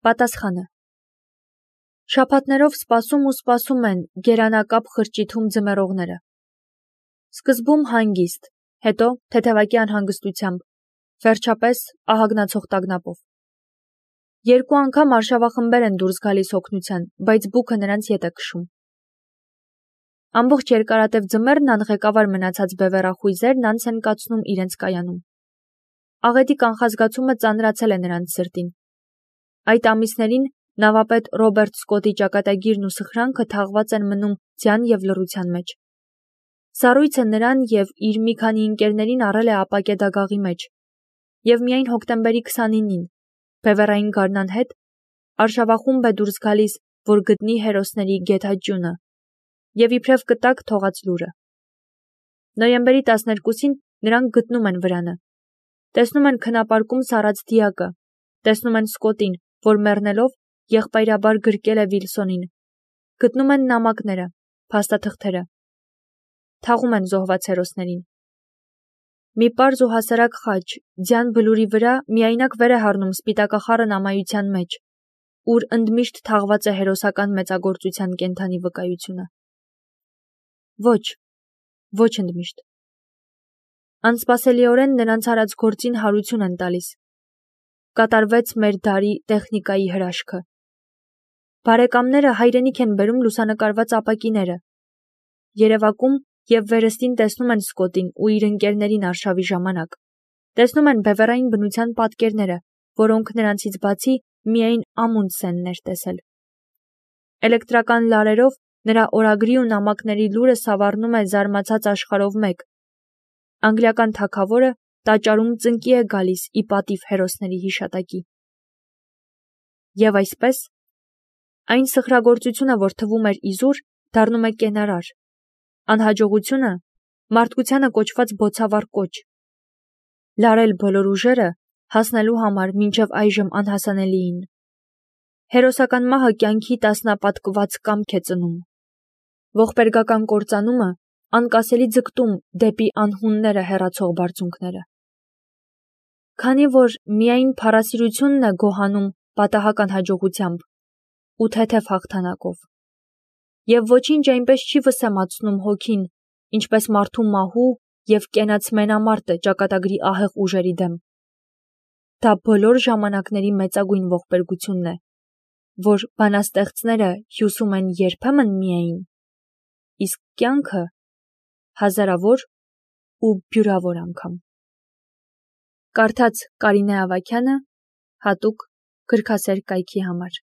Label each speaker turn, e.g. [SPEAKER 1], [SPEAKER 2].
[SPEAKER 1] Պատասխանը. շաբաթներով սպասում ու սպասում են գերանակապ խրճիթում ձմեռողները։ Սկզբում հանգիստ, հետո թեթևակի անհանգստությամբ, վերջապես ահագնացող տագնապով։ Երկու անգամ արշավախմբեր են դուրս գալիս օգնության, բայց բուքը նրանց ետ է քշում։ Ամբողջ երկարատև ձմեռն անղեկավար մնացած բևեռախույզերն անց են կացնում իրենց կայանում։ Աղետի կանխազգացումը ծանրացել է նրանց սրտին։ Այդ ամիսներին նավապետ Ռոբերտ Սկոտի ճակատագիրն ու սխրանքը թաղված են մնում ձյան և լռության մեջ։ Սառույցը նրան և իր մի քանի ընկերներին առել է ապակե դագաղի մեջ, և միայն հոկտեմբերի 29-ին, բևեռային գարնան հետ, արշավախումբ է դուրս գալիս, որ գտնի հերոսների գեթաջյունը և իբրև կտակ թողած լուրը։ Նոյեմբերի 12-ին նրանք գտնում են վրանը։ Տեսնում են քնապարկում սառած դիակը, տեսնում են Սկոտին, որ մեռնելով եղբայրաբար գրկել է Վիլսոնին, գտնում են նամակները, փաստաթղթերը, թաղում են զոհված հերոսներին։ Մի պարզ ու հասարակ խաչ ձյան բլուրի վրա միայնակ վեր է հառնում սպիտակախառն ամայության մեջ, ուր ընդմիշտ թաղված է հերոսական մեծագործության կենդանի վկայությունը։ Ոչ ընդմիշտ։ Անսպասելիորեն նրանց արած գործին հարություն են տալիս։ Կատարվեց մեր դարի տեխնիկայի հրաշքը։ Բարեկամները հայրենիք են բերում լուսանկարված ապակիները։ Երևակում և վերստին տեսնում են Սկոտին ու իր ընկերներին արշավի ժամանակ։ Տեսնում են բևեռային բնության պատկերները, որոնք նրանցից բացի միայն Ամունդսենն էր տեսել։ Էլեկտրական լարերով նրա օրագրի ու նամակների լուրը սավառնում է զարմացած աշխարհով մեկ։ Անգլիական թագավորը տաճարում ծնկի է գալիս ի պատիվ հերոսների հիշատակի։ Եվ այսպես, այն սխրագործությունը, որ թվում էր իզուր, դառնում է կենարար, անհաջողությունը մարդկությանը կոչված բոցավառ կոչ, լարել բոլոր ուժերը հասնելու համար մինչև այժմ անհասանելիին։ Հերոսական մահը կյանքի տասնապատկված կամք է ծնում, ողբերգական կործանումը անկասելի ձգտում դեպի անհունները հեռացող բարձունքները։ Քանի որ միայն փառասիրությունն է գոհանում պատահական հաջողությամբ ու թեթև հաղթանակով, և ոչինչ այնպես չի վսեմացնում հոգին, ինչպես մարդու մահու և կենաց մենամարտը ճակատագրի ահեղ ուժերի դեմ, դա բոլոր ժամանակների մեծագույն ողբերգությունն է, որ բանաստեղծները հյուսում են երբեմն միայն, իսկ կյանքը հազարավոր ու բյուրավոր անգամ։ Կարդաց Կարինե Ավագյանը հատուկ գրքասեր կայքի համար։